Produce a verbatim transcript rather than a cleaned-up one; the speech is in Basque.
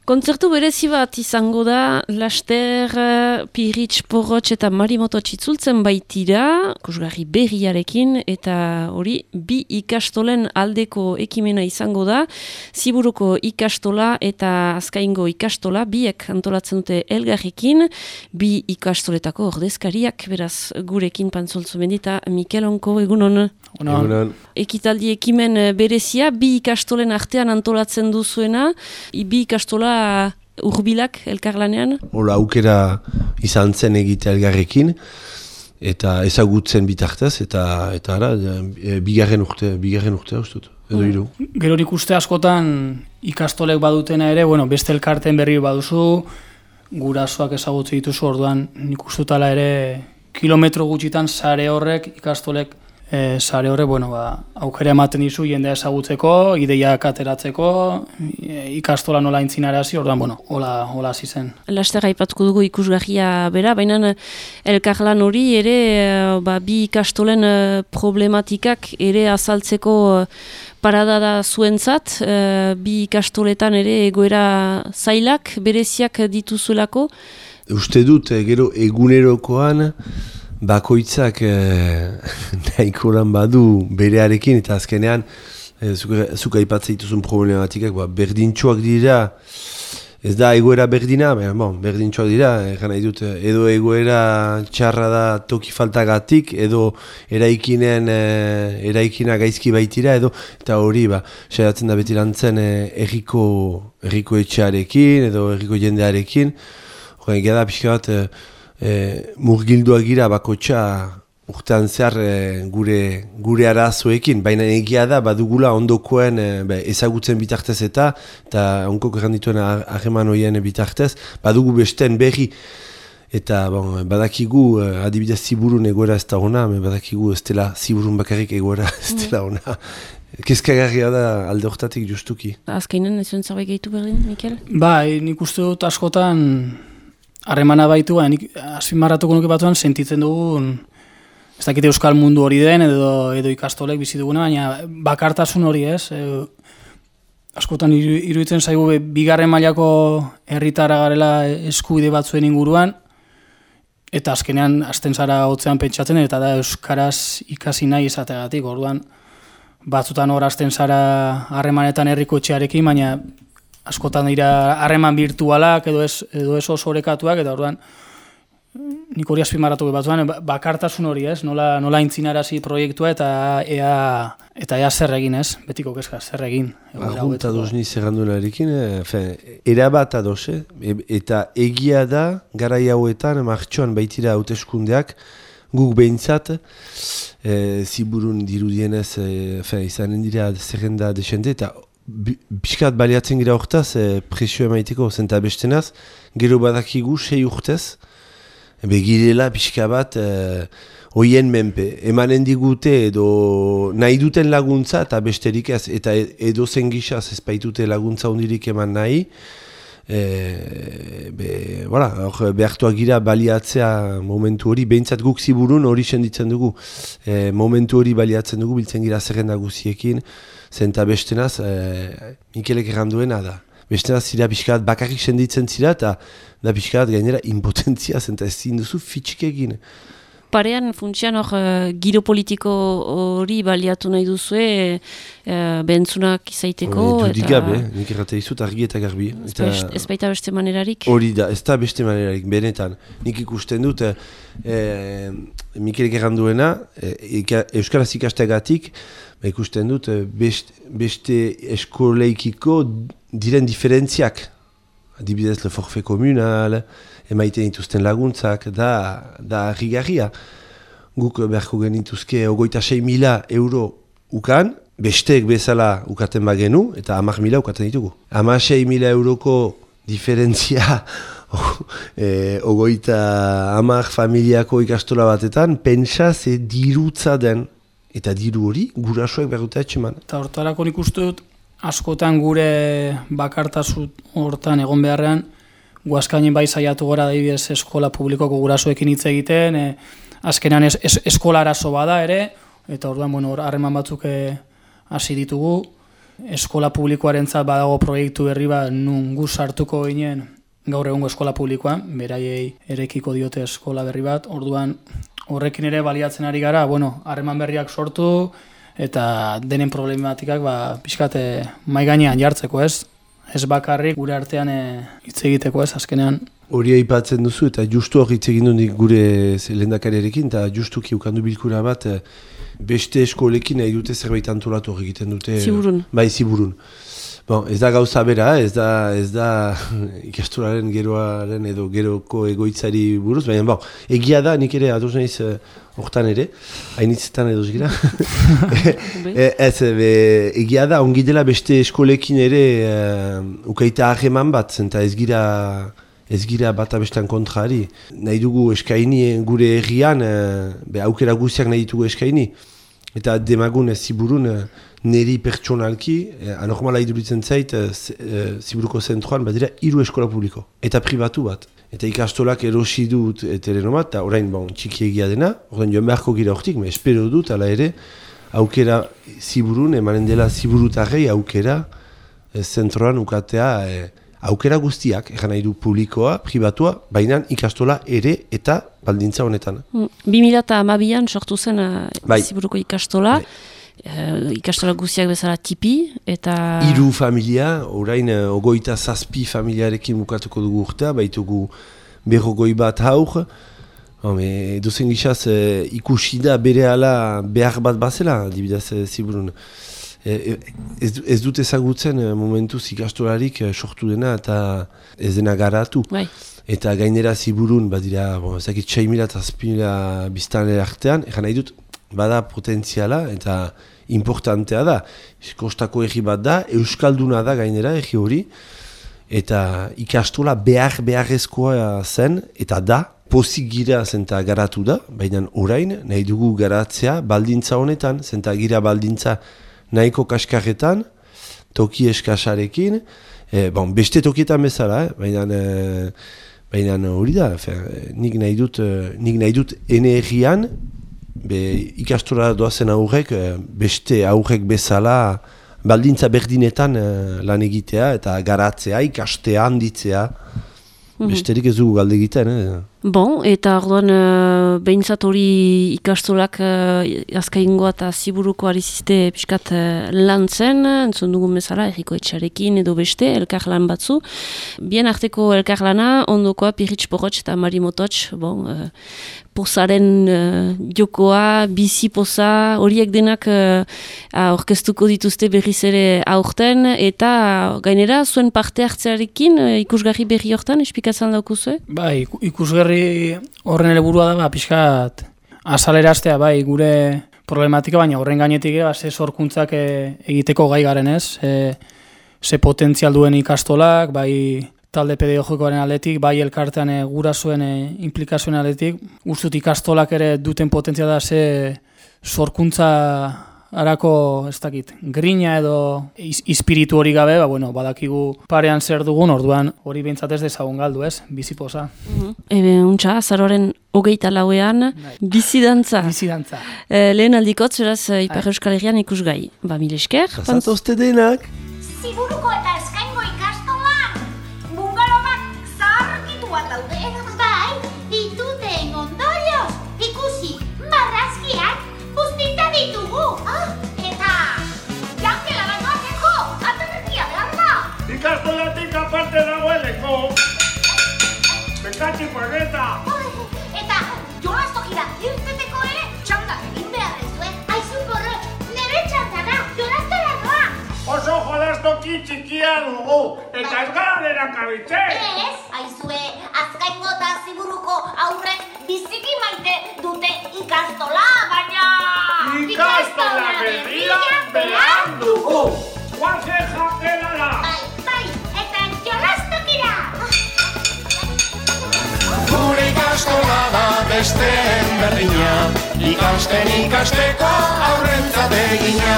Kontzertu berezi bat izango da, laster, Pirritx, Porrotx eta Marimototx itzultzen baitira, ikusgarri berriarekin, eta hori bi ikastolen aldeko ekimena izango da, Ziburuko ikastola eta Azkaingo ikastola, biek antolatzen dute elgarrekin, bi ikastoletako ordezkariak, beraz gurekin Pantzoltzu Mendita, Mikel Onko, egunon. Egunon. Ekitaldi ekimen berezia, bi ikastolen artean antolatzen duzuena, bi ikastola urbilak elkarlanean? Hola, aukera izan zen egite elgarrekin, eta ezagutzen bitartez, eta eta ara, e, bigarren urte, bigarren urte ustut, edo hiru. Gero ikuste askotan ikastolek badutena ere, bueno, beste elkarten berri baduzu, gurasoak ezagutze dituzu, orduan nik ustutala ere kilometro gutxitan sare horrek ikastolek E, sare horre, bueno, ba, aukera ematen dizu jendea ezagutzeko, ideiak ateratzeko, e, ikastola nola intzinarazi, orduan, bueno, hola, hola hasi zen. Laster aipatuko dugu ikusgarria bera, baina elkarlan hori ere ba, bi ikastolen problematikak ere azaltzeko parada da zuentzat, e, bi ikastoletan ere egoera zailak, bereziak dituzuelako? Uste dut, gero egunerokoan, bakoitzak eh, nahiko lan badu berearekin, eta azkenean eh, zuk aipatzen dituzun problematikak ba, berdintxoak dira, ez da egoera berdina, bon, berdintxoak dira, egan nahi dut, edo egoera txarra da toki faltagatik, edo eraikinen, eh, eraikina gaizki baitira, edo eta hori, ba, saiatzen da beti lantzen eh, erriko, erriko etxearekin, edo erriko jendearekin, horren gada pixka bat, eh, E, murgilduak gira bakotxa urtean zehar e, gure, gure arazoekin, baina egia da badugula ondokoen e, be, ezagutzen bitartez eta eta onkok errandituen harreman horien bitartez, badugu besten berri eta bon, badakigu e, adibidez Ziburun egoera ez da ona, badakigu ez dela Ziburun bakarrik egoera ez dela ona. Kezkagarria da alde hortatik justuki. Azkainen ez zuen zerbait gehitu berdin, Mikel? Ba, nik uste dut askotan harremana baitu, nik azpimarratuko nuke batuan sentitzen dugun, ez dakite euskal mundu hori den, edo, edo ikastolek bizi duguna, baina bakartasun hori ez. E, askotan iru, iruditzen zaigu bigarren mailako herritara garela eskubide batzuen inguruan, eta azkenean hasten zara hotzean pentsatzen, eta da euskaraz ikasi nahi izategatik, orduan batzutan hor hasten zara harremanetan herriko etxearekin, baina askotan dira harreman virtualak edo ez, edo ez oso orekatuak, eta orduan nik hori azpimarratu batzuan, bakartasun hori ez, nola, nola intzinarazi proiektua eta ea, eta ea zer egin ez, betiko kezka, zer egin. Argunta doz niz errandunarekin, erabat ados, eh? Eta egia da, garai hauetan, martxoan baitira hauteskundeak, guk behintzat, e, Ziburun dirudienez, e, izanen dira zerrenda desente, eta Biskat baliatzen gira hortaz, e, presio emaiteko zenta bestenaz, gero badakigu sei urtez, begirela pixka bat e, oien menpe. Emanen digute edo nahi duten laguntza eta besterik ez, eta edo zen gizaz ez baitute laguntza hundirik eman nahi, e, be, voilà, or, behartuak gira baliatzea momentu hori, behintzat guk Ziburun hori senditzen dugu, e, momentu hori baliatzen dugu, biltzen gira zerrenda guziekin, zenta bestenaz, e, Mikelek erranduena da. Bestenaz zira pixkat bakarrik senditzen zira eta da pixkat gainera impotentzia zenta ez zinduzu fitxik egin. Parean funtsian hor uh, giro politiko hori baliatu nahi duzue uh, behentzunak izaiteko. Dudik gabe, nik errate izut argi eta garbi. Eta ez baita beste manerarik? Hori da, ez da beste manerarik, benetan. Nik ikusten dut, e, Mikelek erranduena, e, Euskaraz ikasteagatik, ba ikusten dut best, beste eskoleikiko diren diferentziak. Adibidez, le forfait communal, emaiten dituzten laguntzak, da, da rigarria. Guk beharko genituzke ogoita sei mila euro ukan, besteek bezala ukaten bagenu, eta hamar mila ukaten ditugu. Hamar sei mila euroko diferentzia e, ogoita hamar familiako ikastola batetan, pentsa ze dirutza den. Eta diru hori, gurasoek behar dute etxeman. Eta hortarako nik uste dut, askotan gure bakartasun hortan egon beharrean, guazkainen bai saiatu gara adibidez eskola publikoko gurasoekin hitz egiten, e, azkenean es, es, eskola arazo bada ere, eta orduan, bueno, harreman batzuk hasi ditugu, eskola publikoarentzat badago proiektu berri bat nun gu sartuko ginen gaur egungo eskola publikoan, beraiei erekiko diote eskola berri bat, orduan horrekin ere baliatzen ari gara, bueno, harreman berriak sortu eta denen problematikak ba, pixkate mai gainean jartzeko, ez? Ez bakarrik gure artean hitz egiteko, ez, azkenean. Hori aipatzen duzu eta justu hori hitz egin dut gure lehendakariarekin eta justuki ukandu bilkura bat beste eskolekin nahi dute zerbait antolatu hori egiten dute. Ziburun. Bai, Ziburun. Bon, ez da gauza bera, ez da, ez da ikastolaren geroaren edo geroko egoitzari buruz, baina bon, egia da, nik ere ados naiz hortan ere, hainitzetan edo gira. e, ez, be, egia da, ongi dela beste eskolekin ere uh, ukaita hageman bat, zenta ez gira, ez gira bat abestan kontrari. Nahi dugu eskaini gure herrian, uh, be, aukera guztiak nahi ditugu eskaini. Eta demagun Ziburun neri pertsonalki, eh, anormala iduritzen zait, eh, Ziburuko zentroan badira hiru eskola publiko. Eta pribatu bat. Eta ikastolak erosi dut terreno bat, eta orain bon, txiki egia dena, orain joan beharko gira hortik, me espero dut, ala ere, aukera Ziburun, emanen dela Ziburutarrei aukera eh, zentroan ukatea, eh, aukera guztiak, egan nahi du publikoa, pribatua, baina ikastola ere eta baldintza honetan. bi mila hamabian sortu zen uh, bai. Ziburuko ikastola, bai. uh, ikastola guztiak bezala tipi, eta... Hiru familia, orain uh, ogoita zazpi familiarekin bukatuko dugu urtea, baitugu berrogoi bat haur, dozen gizaz uh, ikusi da bere ala behar bat bazela, dibidaz uh, Ziburun. Ez, ez dut ezagutzen momentuz ikastolarik sortu dena eta ez dena garatu. Bai. Eta gainera Ziburun, badira, bon, ezakit sei mila eta zazpi mila biztanle artean, egan nahi dut, bada potentziala eta importantea da. Kostako erri bat da, euskalduna da gainera erri hori, eta ikastola behar beharrezkoa zen, eta da, pozik gira zenta garatu da, baina orain nahi dugu garatzea baldintza honetan, zenta gira baldintza nahiko kaskarretan, toki eskasarekin, e, bon, beste tokietan bezala, eh? baina e, baina hori da, fe, nik nahi dut, nik nahi dut ene herrian, be, ikastora doazen aurrek, beste aurrek bezala, baldintza berdinetan lan egitea, eta garatzea, ikastea, handitzea, mm-hmm. besterik ez dugu galde egiten, eh? Bon, eta orduan uh, behintzat hori ikastolak uh, azkaingoa eta Ziburuko arizizte pixkat uh, lan zen, entzun dugun bezala, erriko etxarekin edo beste, elkar lan batzu. Bien arteko elkar lana, ondokoa Piritx Porrotx eta Mari Mototx, bon, uh, pozaren uh, jokoa, bizi poza, horiek denak uh, orkestuko dituzte berriz ere aurten, eta gainera zuen parte hartzearekin uh, ikusgarri berri hortan, espikatzen daukuzue? Ba, ikusgarri horren helburua da, ba, pixkat azaleraztea, bai, gure problematika, baina horren gainetik ba, ze sorkuntzak e, egiteko gai garen ez, e, ze potentzial duen ikastolak, bai talde pedagogikoaren aldetik, bai elkartean e, gurasoen e, implikazioen aldetik, ustut ikastolak ere duten potentzia da ze sorkuntza harako, ez dakit, grina edo iz, ispiritu hori gabe, ba, bueno, badakigu parean zer dugun, orduan hori behintzat ez dezagun galdu, ez? Bizipoza. Mm-hmm. Ebe, untxa, azaroaren hogeita lauean, bizidantza. Bizidantza. E, lehen aldikotz, beraz, Ipar Euskal Herrian ikusgai. Ba, mil esker. Azatozte denak. Ziburuko eta eskaingo ikastolan, bungalomak zaharkituak daude. Bai, dituten ondorioz, ikusi, marrazkiak buztita ditugu. Ah, eta, jangela bainoateko, aterretia behar da. Ikastolatik aparte dagoeleko. Bekatzi pagueta. Eta, jolastokira irteteko ere, txanda egin behar ez duen. Aizu Porrotx, nire txandara, jolastara doa. Oso jolastoki txikia dugu, eta ez gara dena kabitzen. Ez, aizue, azkaingo eta Ziburuko aurrek biziki maite dute ikastola, baina... Ikastola berria behar dugu. Guazen jakelara. Bai, bai, eta jolastokira. Gure ikastola da besteen berdina, ikasten ikasteko aurrentzat egina.